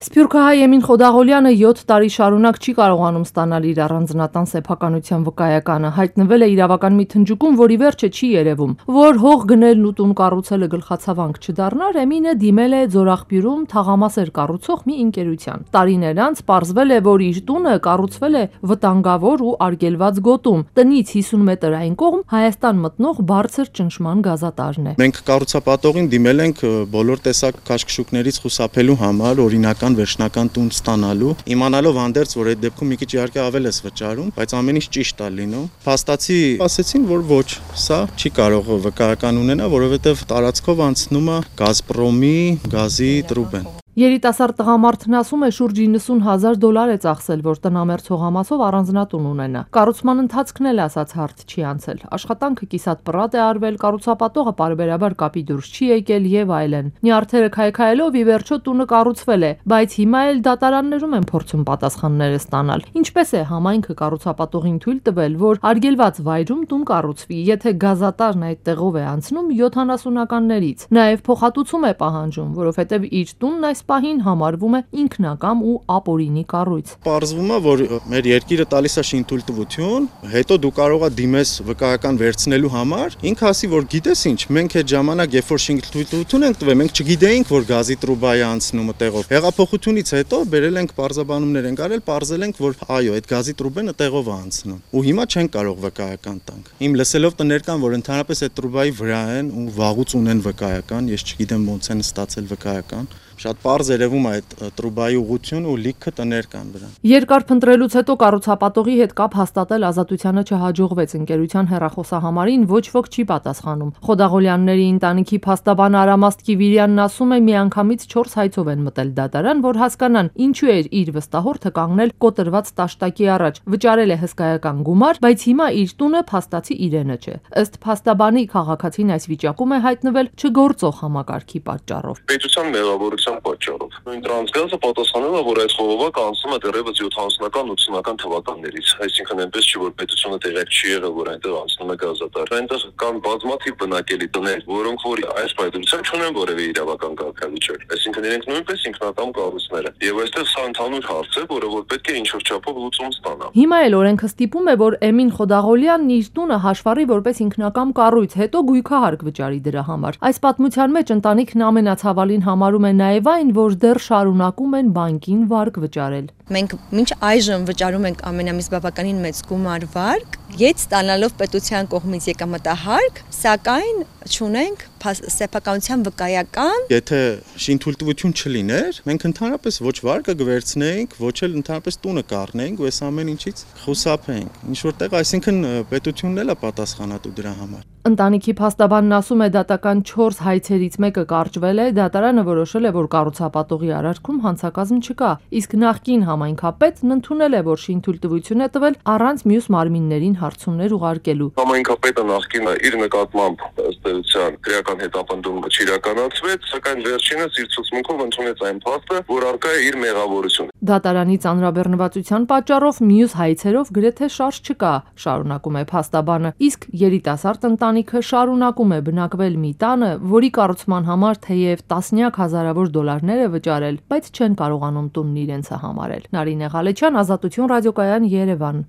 Սփյուռքահայ Էմին Խոդաղոլյանը 7 տարի շարունակ չի կարողանում ստանալ իր առանձնատան սեփականության վկայականը, հայտնվել է իրավական մի թնջուկում, որի վերջը չի երևում, որ հող գնելն ու տուն կառուցելը գլխացավանք չդառնար, Էմինը դիմել է Ձորախբյուրում թաղամասեր կառուցող մի ընկերության։ Տարիներ անց պարզվել է, որ իր տունը կառուցվել է վտանգավոր ու արգելված գոտում, տնից 50 մետր այն կողմ Հայաստան մտնող բարձր ճնշման գազատարն է։ Մենք կառուցապատողին դիմել ենք բոլոր տեսակ քաշքշուկներից խուսափելու համար, օրինական վերջնական տուն ստանալու, իմանալով հանդերձ, որ այդ դեպքում մի քիչ իհարկե ավել ես վճարում, բայց ամեն ինչ ճիշտ է լինում։ Փաստացի ասեցին, որ ոչ, սա չի կարող վկայական ունենա, որովհետև տարածքով անցնում է Գազպրոմի գազի տրուբեն։ Երիտասարդ տղամարդն ասում է, շուրջ $90,000 է ծախսել, որ տնամերձ հողամասով առանձնատուն ունենա։ Կառուցման ընթացքն էլ ասած հարթ չի անցել։ Աշխատանքը կիսատ պռատ է արվել, կառուցապատողը պարբերաբար կապի դուրս չի եկել եւ այլն։ Նյարդերը քայքայելով ի վերջո տունը կառուցվել է, բայց հիմա էլ դատարաններում են փորձում պատասխանները ստանալ։ Ինչպես է համայնքը կառուցապատողին թույլ տվել, որ արգելված վայրում տուն կառուցվի, եթե գազատարն այդ տեղով է անցնում 70-ականներից։ Նաեւ փոխհատուցում է պահանջում, որովհետեւ իր տունն այս պահին համարվում է ինքնակամ ու ապօրինի կառույց։ Պարզվում է, որ մեր երկիրը տալիս է շինթույլտվություն, հետո դու կարող ես դիմես վկայական վերցնելու համար, ինքը ասի, որ գիտես ինչ, մենք այդ ժամանակ, երբ որ շինթույլտվություն ենք տվել, մենք չգիտեինք, որ գազի տրուբայի անցնում տեղով։ Հեղափոխությունից հետո բերել ենք պարզաբանումներ ենք արել, պարզել ենք, որ այո, այդ գազի տրուբենը տեղով է անցնում։ Ու հիմա չեն կարող վկայական տանք։ Իմ լսելով տներ կան, որ ընդհանրապես այդ տրուբայի վրա են ու վաղուց ունեն վկայական, ես չգիտեմ ոնց են ստացել վկայական։ Շատ պարզ երևում է այդ տրուբայի ուղղությունը ու լիքը տներ կան վրան։ Երկար փնտրելուց հետո կառուցապատողի հետ կապ հաստատել Ազատությանը չհաջողվեց, ընկերության հեռախոսահամարին ոչ ոք չի պատասխանում։ Խոդաղոլյանների ընտանիքի փաստաբան Արամ Աստղիվիրյանն ասում է, միանգամից 4 հայցով են մտել դատարան, որ հասկանան ինչու էր իր վստահորդը կանգնել կոտրված տաշտակի առաջ, վճարել է հսկայական գումար, բայց հիմա իր տունը փաստացի իրենը չէ։ Ըստ փաստաբանի քաղաքացին այս վիճակում է հայտնվել չգործող համակարգի պատճառով։ Պետության մեղավորության պատճառով։ Նույն տրանսգազը պատասխանել է, որ այդ խողովակը անցնում է դեռևս 70-ական, 80-ական թվականներից, այսինքն այնպես չի, որ պետությունը տեղյակ չի եղել, որ այնտեղ անցնում է գազատար։ Այնտեղ կան բազմաթիվ բնակելի տներ, որոնք որ այս պայմանությամբ չունեն որևէ իրավական կարգավիճակ, այսինքն իրենք նույնպես ինքնակամ կառույցներ են։ Եվ այստեղ սա ընդհանուր հարց է, որը որ պետք է ինչ-որ չափով լուծում ստանա։ Հիմա էլ օրենքը ստիպում է, որ Էմին Խոդաղոլյանն իր տունը հաշվառի որպես ինքնակամ կառույց, հետո գույքահարկ վճարի դրա համար։ Այս պատմության մեջ ընտանիքն ամենացավալին համարում է նաև այն, որ դեռ շարունակում են բանկին վարկ վճարել։ Մենք մինչ այժմ վճարում ենք ամենամիս բավականին մեծ գումար վարկ, ետ ստանալով պետության կողմից եկամտահարկ, սակայն չունենք սեփականության վկայական։ Եթե շինթույլտվություն չլիներ, մենք ընդհանրապես ոչ վարկը կվերցնեինք, ոչ էլ ընդհանրապես տունը կառնեինք ու այս ամեն ինչից խուսափեինք։ Ինչ որտեղ, այսինքն պետությունն էլ է պատասխանատու դրա համար։ Ընտանիքի փաստաբանն ասում է, դատական 4 հայցերից մեկը կարճվել է, դատարանը որոշել է, որ կառուցապատողի արարքում հանցակազմ չկա, իսկ նախկին համայնքապետն ընդունել է, որ շինթույլտվություն է տվել առանց մյուս մարմիններին հարցումներ ուղարկելու։ Համայնքապետը նախկին իր նկատմամբ ըստ էության քրեական հետապնդումը չիրականացվեց, սակայն վերջինս իր ցուցմունքով ընդունեց այն փաստը, որ առկա է իր մեղավորությունը։ Դատարանի ծանրաբեռնվածության պատճառով մյուս հայցերով գրեթե շարժ չկա, շարունակում է փաստաբանը, իսկ երիտասարդ ընտանիքը շարունակում է բնակվել մի տանը, որի կառուցման համար թեև տասնյակ հազարավոր դոլարներ է վճարել, բայց չեն կարողանում տունն իրենցը համարել։ Նարինե Ղալեչյան, Ազատություն ռադիոկայան, Երևան։